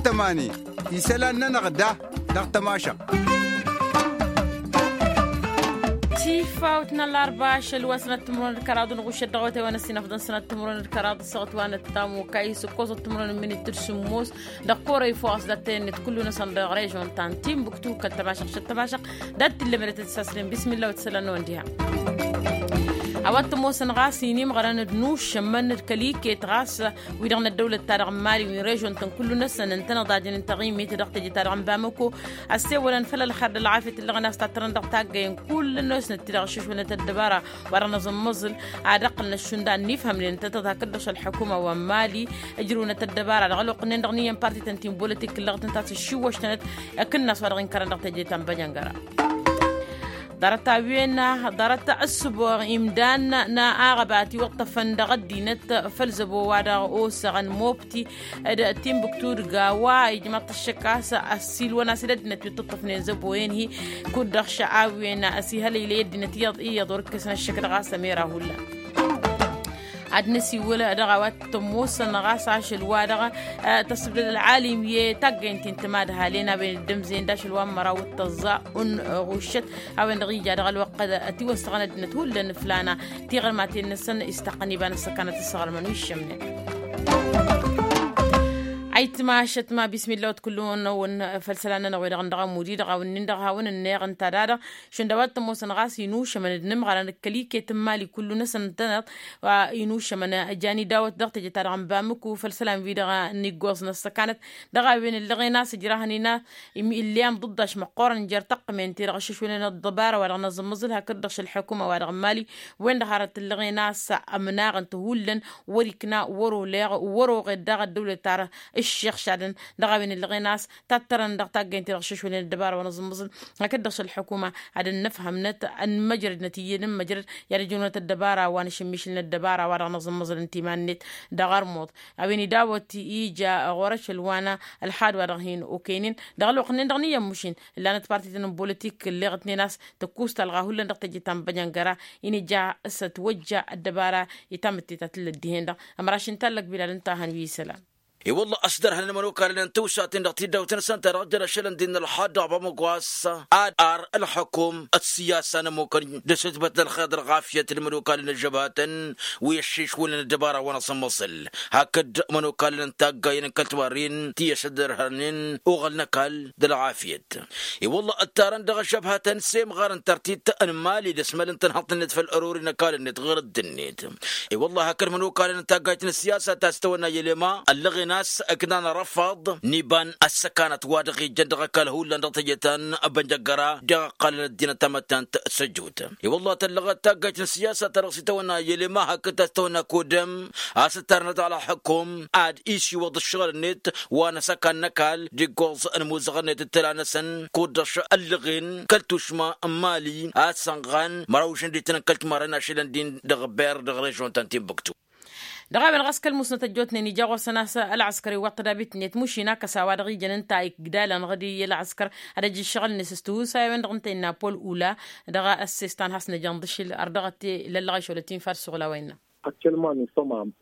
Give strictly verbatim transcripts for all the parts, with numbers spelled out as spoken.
Tămani isălan-nănăɣ da dăɣ-tămašăɣt. Tifawt n-ăllarba ašăl wa sănăt timǝrwen d-kăraḍ n-ɣušăt dăɣ-wătay wa n-ăsinăfḍăn sănăt timǝrwen d-kăraḍ s-săɣăt wa n-ăttam okay s-ǝkkoẓăt timǝrwen n-minit d-sǝmmos. Dăɣ-kora ifos dat-en-net kullu-năsăn dăɣ-režon ta n-timbuktu kăl-tămašăɣt šăt tămašăɣt dat-t-illa mănăt d-sasnen bismillah wa t-isălan n-ăwăn diha. A-wa t-ămoosăn ɣas inimɣărăn d-nušămmăn d-kăl-iket ɣas wi-dăɣ n-ăddăwlăt-ta-dăɣ n-mali wi n-režon-tăn kullu-năsăn ǝntăneḍ ad-dd-inǝntăɣ imit dăɣ-teje-ta-dăɣ n-bamăko. Ăssewălăn făll-ălxer d-ălɣafyăt ǝllăɣăn a-s tattărăn dăɣ-taggăyăn kullu-năsnăt ti-dăɣ ăššăšwălnăt ăddăbara wa dăɣ-năẓǝmmăẓǝl ad-ăqqǝlăn ăššund a ănnifhămnen ǝntăneḍ hakd-dăɣ šăl ălḥukuma wa n-mali ǝjrǝwnăt ăddăbara dăɣ-ălwăqq-nin-dăɣ n-iyyăn parti-tăn ti n-bolătik ǝllăɣăt ǝnta a-s ǝššiwwăštănăt ăkǝnnas wa dăɣ-inkărăn dăɣ-teje ta n-băjăngăra. Ḍarăt a-wen ḍarăt ăssǝboɣ imdan n-aɣăba a ătiwăṭṭăfăn dăɣ-ăddinăt făll-zăbo-wa-dăɣ osăɣăn mobti d-timbuktu d-gawa ijmăḍ-t ăššăk a-s ăssiilwăn a-s d-ăddinăt wi ǝṭṭăṭṭăfnen zăbo-en-hi. Kud-dăɣ šăa a-wen ăsihălăylăy ăddinăt iyyăḍ iyyăḍ wăr-ǝkkăsăn ăššăk dăɣ-a-s ămera hullan. Ad-năsiwǝl dăɣ-a-wa t-ămoosăn ɣas ašăl-wa-dăɣ tăsbǝdăd ălɣalim i-taggăyăn ti n-timadhalen a-wen dd-ǝmzăyăn d-ašăl wa n-măraw d-tăẓẓa unɣuššăt a-wen-dăɣ ija dăɣ-ălwăqq ătiwăssăɣăn ăddinăt hullan ǝflana tiɣărmaten-năsăn istaqqăn iba n-ăssăkanăt ǝssăɣrămăn wi ǝššămnen. Ayǝtmašăt ma bismillah wa t-kullu-năwăn făll-isălan-nănăɣ wi-dăɣ n-dăɣ ămud-i-dăɣ a-wen-nin-dăɣ hawăn-ǝnneɣ ǝnta a dadăɣ šund a-wa t-ămoosăn ɣas inušămăn d-inǝmɣărăn d-kăl-iket n-imali kullu-năsăn ǝntăneḍ wa inušămăn jan idawăt dăɣ-teje-ta-dăɣ n-bamǝku făll-isălan-wi-dăɣ n-iggoẓ n-ăssăkanăt. Dăɣ-a-wen ǝllăɣen a-s ǝjrahăn-in a ǝlli amḍǝddaš măqqoorăn jer-taqqǝmen-ti-dăɣ ăššăšwălăn ăḍḍăbara wa dăɣ-năẓǝmmăẓǝl hakd-dăɣ šăl ălḥukuma wa dăɣ-n mali. Wen-dăɣ hărăt ǝllăɣen a-s ămnaɣ ǝnta hullan wăr-ikna wăr-oleɣ wăr-oɣed daɣ ăddăwlăt ta ǝššixšadăn. Dăɣ-a-wen ǝllăɣen a-s tattărăn dăɣ-taggăyăn-ti-dăɣ ăššăšwălăn ăddăbara wa năẓǝmmăẓǝl hakd-dăɣ šăl ălḥukuma ad-ănnăfhămnăt ănmăjrădnăt iyyăn n-măjrăd i-ad-ăjrăwnăt ăddăbara wa n-ašǝmmišǝl n-ăddăbara wa dăɣ-năẓǝmmăẓǝl ǝnta iman-net. Dăɣ-ărmuḍ a-wen idawăt ija ɣur-ašăl wa n-ălxad wa dăɣ-hin-okăynen dăɣ-ălwăqq-nin-dăɣ n-iyyăn mašin ǝllanăt parti-tăn n-bolătik ǝlleɣ-tnen a-s tăkkus talɣa hullan dăɣ-teje ta n-băjăngăra. Inǝja s-ătwăjja ăddăbara i-tamǝtte ta tǝllăt dihen-dăɣ. Ămraš n-tallăk bilal ǝnta a hăn wi isălan. I-wălla a-s dăr-hănen imănokalăn n-tawsaten dăɣ-tiddawt-năsăn ta dăɣ-jăn ašălăn din n-ălxad dăɣ-bamăgwas ad-ar ălxăkum d-siyasa n-ămmukăn d-asǝtbăt n-ălxer d-ălɣafyăt n-imănokalăn n-ăžžăbhatăn wi ăššišwǝlăn ăddăbara wa n-asǝmmăẓǝl hakd imănokalăn n-taggayen n-kăl-tiwarren ti ăšăddărhănen uɣăl n-ăkall d-ălɣafyăt. I-wălla ǝttarăn dăɣ-ăžžăbhatăn s-emɣar n-tărtit n-mali d-asmăl n-tanhăḍt-net făll-ărori n-ăkall-net ɣur-ăddinnet. I-wălla hakd imănokalăn n-taggayt n-ăssiyasa ta s-tawănna i-elema ăllăɣen a-s ǝknan ărăfaḍ n-iba n-ăssăkanăt wa dăɣ-ijăn dăɣ-ăkall hullan dăɣ-teje ta n-bănjăggăra dăɣ-ăqqalăn ăddinăt tamăttant săjjut. I-wălla tăllăɣăt taggayt n-ăssiyasa ta dăɣ-s itawănna i-elema hakd ta s-tawănna kodăm a-s ǝttarnăt ălxăkum ad-isiwăḍ ǝššăɣǝl-net wa n-asăkan n-ăkall d-iggoẓ n-imuzăɣăn-net d-tăla-năsăn kud-dăɣ ăllăɣen kăl-tušma n-mali a-s ănɣan măraw šăndităn n-kăl-timarren ašălăn din dăɣ-ber dăɣ-režon ta n-tinbuktu. Dăɣ-a-wen ɣas kăl-musnăt ăjjootnen ija ɣur-săn a-s ălɣăskăr iwwăḍ tădabit-net mušin akăs a-wa dăɣ-ijăn ǝnta igdalăn ɣǝd i-ălɣăskăr ad-ăj ǝššăɣǝl-net s-tihusay a-wen-dăɣ ǝnta innă pol ula. Dăɣ-ăssestan has-năjăn dăšil ărdăɣăt i-lăllăɣ išolăt infa ad-suɣǝl a-wa innă.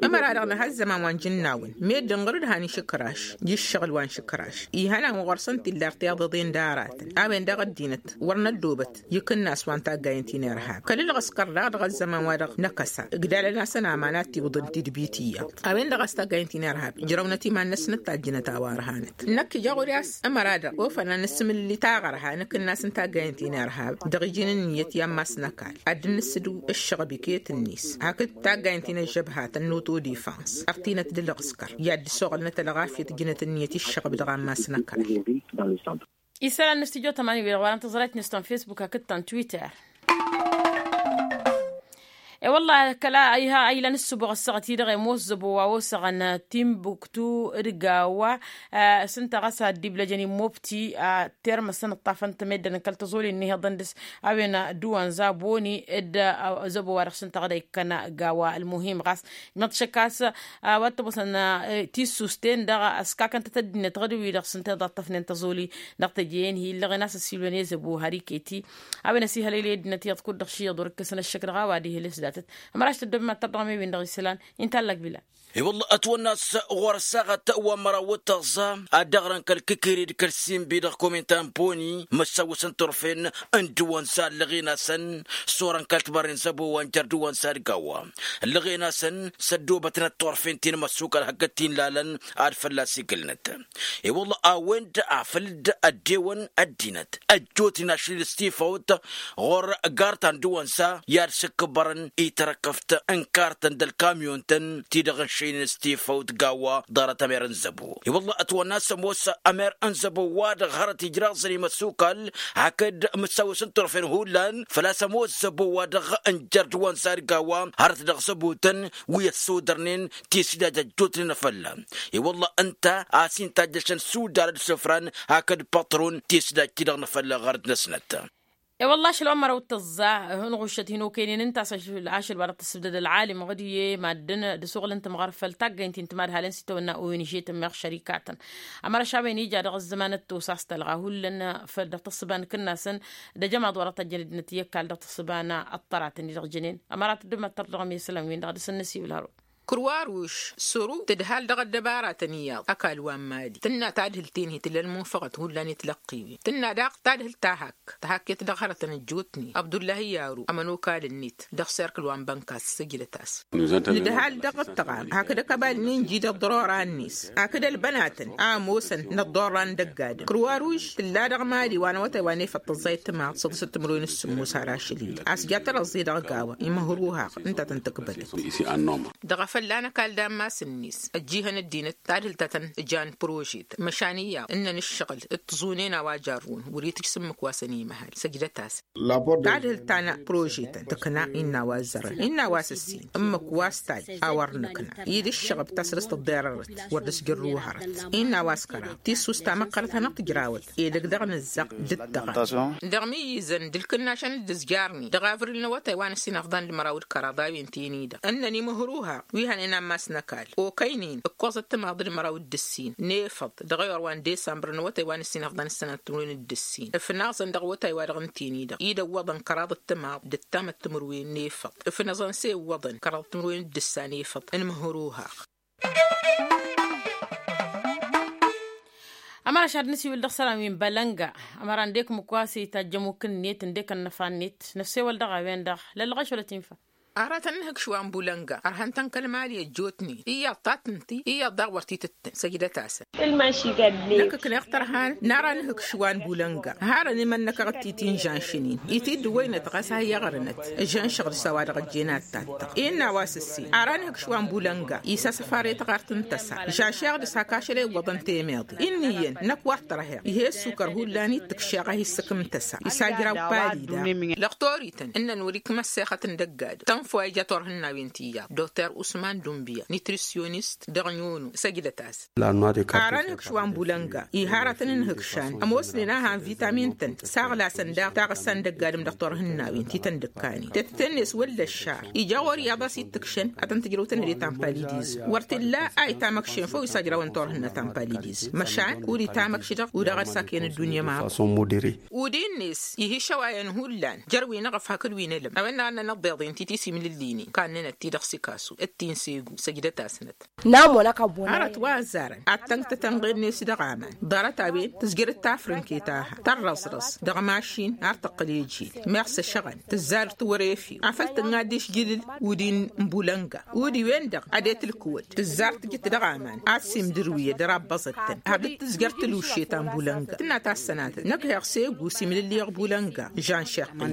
Ămăra-dăɣ nǝha ăzzăman wa n-jǝnnawăn meddǝn ɣur-dd han išǝkraš ija ǝššăɣǝl wa n-išǝkraš ihănan wa ɣur-săn tilla ărtiḍăḍen d-aratăn a-wen-dăɣ ăddinăt wăr năddobăt i-ikǝnnas wa n-taggayen ti n-irhab kăl-ǝlɣǝskăr daɣ dăɣ-ăzzăman wa dăɣ-năkăsa ǝgdalăn-asăn aman ad-t-iwǝḍăn tidbit iyyăḍ. A-wen-dăɣ a-s taggayen ti n-irhab ǝjrăwnăt iman-năsnăt tajjǝnăt a-wa ărhanăt năkk ija ɣur-i a-s ămăra-dăɣ ofăn ad-nǝsmǝlli taɣărha n-ikǝnnas n-taggayen ti n-irhab dăɣ-iji n-ǝnniyăt i-ammas n-ăkall ad-dd-nǝssǝdǝw ǝššăɣb iket-net hakd taggayen ti n-ăžžăbhatăn n-autodefans ărtinăt d-ǝlɣǝskăr i-ad-dd-ăsoɣălnăt ălɣafyăt ǝjnăt ǝnniyăt i-ǝššăɣb dăɣ-ammas n-ăkall. Isălan n-stujo tămani wi-dăɣ wa dăɣ-tăẓrayt-net ta n-facebook hakd ta n-twitter. E-wălla-hi kăla a iha a ilăn ǝssǝboɣ ăssaɣăt-i-dăɣ i-ămoos zăbo wa osăɣăn timbuktu d-gawa s-ǝnta ɣas ad-dd-iblăjăn immobti. Termăsăn ǝṭṭafăn-t meddǝn kăl-tăẓoli n-ihăḍăn dăɣ-s a-wen dd-uwăn zaboni d-zăbo wa dăɣ-s ǝnta ɣǝd a ikkăn gawa ălmuhim ɣas ijmăḍ-t šăkk a-s wa t-ămoosăn tisusten dăɣ-ăskakăn-tăt ăddinăt ɣǝd-wi-dăɣ s-ǝnta iḍaṭṭăfnen tăẓoli dăɣ-teje-en-hi illăɣen a-s ăssiilwăn i-zăbo har iket-i. A-wen ăsihălăylăy ăddinăt iyyăḍ kud-dăɣ ši iyyăḍ wăr-ǝkkǝsăn ăššăk dăɣ-a-wa d-ihǝlǝs da. Ămăraš tăddobem ad-tărdăɣăm i-win-dăɣ isălan. Inta allăg bila. I-wălla ătwănna a-s ɣur-ăssaɣăt wa n-măraw d-tăẓẓa ad-dăɣ-răn kăl-kikiri d-kăl-simbi dăɣ-komintan boni măssawăsăn turfen n-dăwăn s-ad-lăɣen-asăn s-orăn kăl-tibărren zăbo wa n-jer-dăwăn s-ad-gawa. Lăɣen-asăn s-ăddoobătnăt turfen ti n-măssukăl hakd ti n-lalăn ad-fălla-s igǝlnăt. I-wălla a-wen-dd afăl dd-ăddewăn ăddinăt ăjjootnen ašăl-in s-tifawt ɣur-gar ta n-dăwăn s-a i-ad-sǝkkǝbărăn i-tarăkkăft n-kartăn d-ălkamyon-tăn ti-dăɣ n-šăynen s-tifawt gawa ḍarăt ămer n-zăbo. I-wălla ătwănna a-s ămoos ămer n-zăbo-wa-dăɣ hărăt ijraẓăn imăssukal hakd mǝssawăsăn turfen hullan făl-a-s ămoos zăbo-wa-dăɣ n-jer-dăwăn s-ad-gawa hărăt dăɣ-zăbo-tăn wi ăssodărnen tisdaj ăjjootnen afălla. I-wălla ǝnta a-s inta ăjjăšăn sudal d-sǝfran hakd păṭrun tisdaj-ti-dăɣ n-afălla ɣărăt-năsnăt. I-wălla ašăl wa n-măraw d-tăẓẓa ănɣuššăt hin-okăynen ǝnta a-s ašăl wa dăɣ-tăssǝbdăd ălɣalim ɣǝd-i i-maddǝn d-asuɣǝl n-tǝmɣăr făll-taggăynt-i n-timadhalen s-itawănna owen žetăn meɣ šărikatăn. Ămăra šawen ija dăɣ-ăzzăman d-tosa a-s tălɣa hullan făll-dăɣ-tăssǝba n-kǝnnasăn d-ajămaḍ wa dăɣ-tăjjăn ăddinăt i-ăkall dăɣ-tăssǝba n-ăṭṭăratăn-i-dăɣ jănen. Ămăra tăddum ad-tărdăɣăm i-isălan-win-dăɣ ad-dăr-săn năsiwǝl hărun. Kruwaruš săru tǝdhal dăɣ-ăddăbaratăn iyyăḍ ăkall wa n-mali tǝnna tadhǝlt-en-hi tǝlla ălmunfăɣăt hullan i-tilăqqiwen tǝnna daɣ tadhǝlt ta hakk tihakket dăɣ-hărătăn ăjjootnen abdullahi yaru ămănokal-net dăɣ-serkǝl wa n-bănkas săjdăt-as. Nǝdhal dăɣ-ǝṭṭăɣam hakd ăkăbal-nin-ji d-ăḍḍărora-net hakd ălbănatăn a ămoosăn n-ăḍḍorra n-dăgg-adǝm kruwaruš tǝlla dăɣ-mali wa n-awătay wa n-efăḍ tăẓẓayăt timaḍ săḍǝsăt timǝrwen s-sǝmmos har ašăl-i-dăɣ a-s ja tărăẓẓe dăɣ-gawa imǝhruhăɣ ǝnta a tăn-tǝkbădăt. Dăɣ-afălla n-ăkall d-ammas-net ăjjihăn ăddinăt tadhǝlt ta tăn-jan prožet măšan iyyăḍ ǝnnăn ǝššăɣǝl d-tiẓunen a-wa jarrǝwăn wăr-itǝj s-ǝmmǝk wa săn-imăhal săjdăt-as. Tadhǝlt ta n-prožetăn tǝkna innă a-wa ăzzărăn innă a-wa s-ǝssin ǝmmǝk wa s-taj a wăr nǝkna i-dd-ǝššăɣǝb ta săr-s tǝḍḍerărăt wăr dd-ăsjărrǝw hărăt innă a-wa s-kăraḍ tissus tamăqqărăt hanăɣ-tǝjrawăt edăgg dăɣ-nǝzzăɣ dd-tăɣăn. Dăɣ-imǝyyǝzăn d-ǝlkǝnnašăn dd-ǝzjarnen dăɣ-avril n-awătay wa n-ǝssin ăfḍan d-măraw d-kăraḍ a-wen-ten-i-dăɣ ǝnnăn imǝhruha wi hănen ammas n-ăkall okăynen ǝkkoẓăt timaḍ d-măraw d-ǝssin n-efăḍ dăɣ-ewăr wa n-desămbăr n-awătay wa n-ǝssin ăfḍan s-sănat timǝrwen d-ǝssin ǝfnaẓăn dăɣ-awătay wa dăɣ-ǝnten-i-dăɣ i-dd-ăwwăḍăn kăraḍ d-timaḍ d-ăttamăt timǝrwen n-efăḍ ǝfnăẓăn s-e ǝwwăḍăn kăraḍ timǝrwen d-ǝssa n-efăḍ n-imǝhruha. Ămăra šad nǝsiwǝl dăɣ-isălan wi n-bălănga ămăra ǝndek ǝmmǝk wa s-itajj ămmuk-net ǝndek ănnăfa-net năssewăl dăɣ-a-wen-dăɣ lăllăɣeš wăla tinfa. Arătăn ǝnhǝkš wa n-bulănga ărhăn-tăn kăl-mali ăjjootnen iyyăḍ ta tǝnti iyyăḍ daɣ wăr t-itǝttǝn săjdăt-asăn. Năkk ǝkneɣ tărhan n-ara nǝhǝkš wa n-bulănga harăn imănnăkăɣ d-titi n-žănšăn-in itǝddǝwăynăt ɣas a hi-iɣrǝnăt žănšăɣ dăɣ-s a-wa dăɣ-ăjjeen ad-tattăɣ innă a-wa s-ǝssin ara nǝhǝkš wa n-bulănga isasăfar i-taɣart n-tăsa žănšeɣ dăɣ-s hak ašăl a iwwăḍăn temeḍe inn'-iyyăn năkk wa t-tărheɣ ih'-e ăssukăr hullan i-t-ǝkšeɣ a hi-ǝssǝkǝm tăsa isajraw palida. Lăqtorităn ǝnnăn wăr-ikmăssexăt n-dăgg-adǝm tănfo a ija turhǝnnawen ti iyyăḍ dokter usman dunbiya nitrisyonist dăɣ-nyono săjdăt-as. Ara nǝhǝkš wa n-bulănga iha ara tăn-ǝnhǝkšan ămoosnen a han vitamin-tăn saɣlasăn daɣ taɣǝssa n-dăgg-adǝm dăɣ-turhǝnnawen ti tăn-dd-ǝkkanen tetăt-net wălla ăššar ija ɣur-iyyăḍ a-s ittǝkšăn ad-tăn-tǝjrăw tăn-hăde ta n-palidizm wăr t-illa a itamăkšen făw isajrawăn turhǝnna ta n-palidizm măšan kud itamăkš-dăɣ u-dăɣ ad-sakăyăn ăddunya ma. Udin-net iha išăwayăn hullan jer-wi n-eɣăf hakd wi n-elăm a-wen-dăɣ a ǝnnăn ăḍḍeḍen ti tisimlǝllinen kannănăt-ti-dăɣ sikasu d-ti n-segu săjdăt-asnăt. Hărăt wa ăzzarăn ad-tănktăt ănɣed-net dăɣ-aman ḍarăt-a-wen tǝzjăr d-tafrǝnket a ha tărrăẓrăẓ dăɣ-mašin ar tăqqǝl ejil meɣ s-ăšăɣăn tǝzzar d-tiwărefiw afăl tǝnɣad išjǝlǝl udi n-bulănga udi-wen-dăɣ ad-e-tǝlkǝwăd tǝzzar tǝjǝt dăɣ-aman ad-simdǝrwǝyăd rabbăẓăt-tăn har dd-tǝzjăr tǝluše ta n-bulănga tǝnna tassănatăt năkk heɣ s-egu simlǝlliɣ bulănga žănšeɣ-tăn.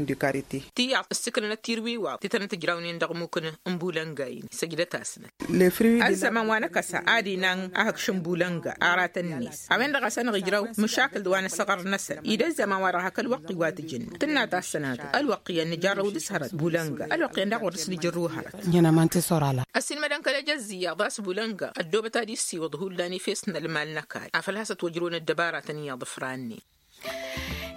Tiyyăḍ ǝssǝknănăt tirwiwaḍ ti tăn-tǝjrawnen dăɣ-mukǝn n-bulănga-in săjdăt-asnăt. Ăzzăman wa n-akăsa ad-inan ahǝkš n-bulănga aratăn-net a-wen-dăɣ a-s ănɣijrăw măšakǝl d-wa n-asăɣăr-năsăn ed ăzzăman-wa-dăɣ hak ălwăqq iwatǝjǝn tǝnna tassănatăt ălwăqq iyyăn nǝjarrăw dăr-s hărăt bulănga ălwăqq iyyăn daɣ wăr dăr-s nǝjărru hărăt. Ăssiilmădăn kăl-ejăzz iyyăḍ a-s bulănga ăddoobăt ad-issiwǝḍ hullan efes n-ălmal n-ăkall afăl hasăt wăjrăwăn ăddăbaratăn iyyăḍ ǝfrannen.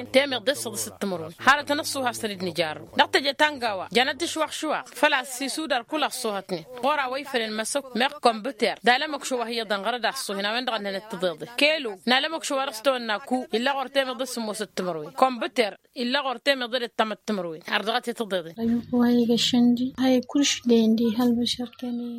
ǝssǝhhănen temeḍe s-săḍǝs d-timǝrwen hărătăn ăṣṣuhas-tăn-dd nǝjarrăw dăɣ-teje tangawa. Jăn ad-t-išwaxšuwaɣ făl-a-s isudar kull ăṣṣuhătnen ɣur-a-wa ifălăn măsăkk meɣ kănbǝter d-alămăkšo wa hi-iyyăḍăn ɣărăd a ăṣṣuhen a-wen-dăɣ ănnănăt tiḍeḍe kelu n-alămăkšo wa dăɣ-s tăwănna ku illa ɣur-temeḍe s-sǝmmosăt timǝrwen kănbǝter illa ɣur-temeḍe d-ăttămăt timǝrwen har dăɣ-t i-tiḍeḍen. Wa iga-šăn-di a-i kullš-den d-ihăl băšăr-ten-i.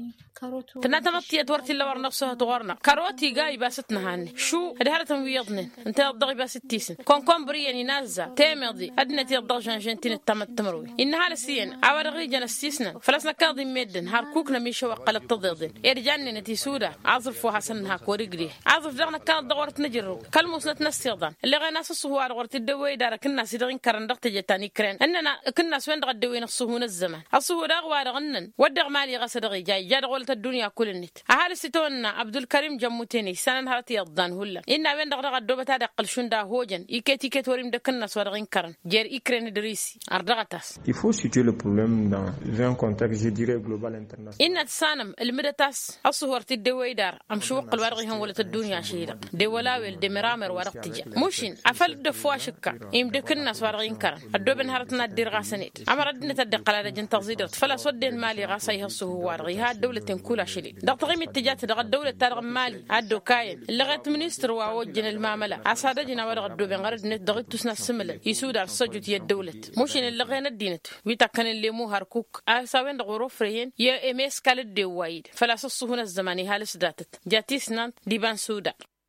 Tǝnna tamăḍt tiyyăt wăr t-illa wăr năɣsăhăt ɣur-năɣ kărot iga ibas-t nǝhanne šu d-hărătăn wi iyyăḍnen ǝnta iyyăḍ dăɣ-ibas d-tisǝn kănkombăr iyyăn inazza temeḍe ăddinăt iyyăḍ dăɣ-žănžen ti n-ǝttamăt timǝrwen. Innă ăhalǝs iyyăn a-wa-dăɣ ijăn ăssiisnăn făl-a-s năkkaḍ-in meddǝn har kuk nămišăwăqqălăt tiḍeḍen ed jannenăt isudar aẓrǝf wa hasăn-nǝhak wăr-igdeh aẓrǝf daɣ năkkaḍ-dăɣ wăr t-nǝjrǝw kăl-musnăt n-ăssiḍan ǝlleɣen a-s ăṣṣuhu-wa-dăɣ wăr t-dd-ewwey idar akǝnnas-i-dăɣ inkărăn dăɣ-teje ta n-ikren ǝnnăn akǝnnas-wen-dăɣ ăddewăyăn ăṣṣuhu n-ăzzăman ăṣṣuhu daɣ wa-dăɣ ǝnnăn wădden mali ɣas a dăɣ-ija ija dăɣ-wălăt ăddunya kull-net. Ăhalǝs itawănna abdulkărim jămmutene issanăn hărăt iyyăḍ dan hullan innă a-wen-dăɣ daɣ ăddoobăt ad-iqqǝl šund a ăhojăn iket-iket wăr-imdăk ǝnnas wa dăɣ-inkărăn jer-ikren d-risi. Ărdăɣăt-as. Il faut situer le problème dans un contexte je dirai global international. Innă tǝssanăm ǝlmǝdăt a-s ăṣṣuhu wăr t-dd-ewăy idar ămšǝwăqqǝl wa dăɣ-ihăn wălăt ăddunya ašăl-i-dăɣ d-ewăl awel d-emăramer wa dăɣ-tǝja mušin afăl dd-ăffu ašǝkka imdǝk ǝnnas wa dăɣ-inkărăn ăddooben hărătăn ad-dd-irɣasăn-dd ămăra ăddinăt ad-dd-iqqăl ad-ăjǝn tăẓidărt făl-a-s wădden mali ɣas a ih' ăṣṣuhu-wa-dăɣ iha ăddăwlăt-en kul ašăl-i-dăɣ taɣimit tǝjat dăɣ-ăddăwlăt-ta-dăɣ n-mali ad-dd-okayăn ǝllăɣet ministăr wa ojjăn ălmamăla a-s ad-ăjǝn a-wa-dăɣ ăddooben ɣărăd-net dăɣ-ittus n-ad-sǝmǝlăn isudar s-ăjut i-ăddăwlăt mušin ǝllăɣen ăddinăt wi takkănen lemu hărkuk a-s a-wen-dăɣ wăr-ofrăyăn i-emeskal dd-ewway-dd făl-a-s ăṣṣuhu n-ăzzăman ihal s-datăt ja tisnant d-iba n-sudar.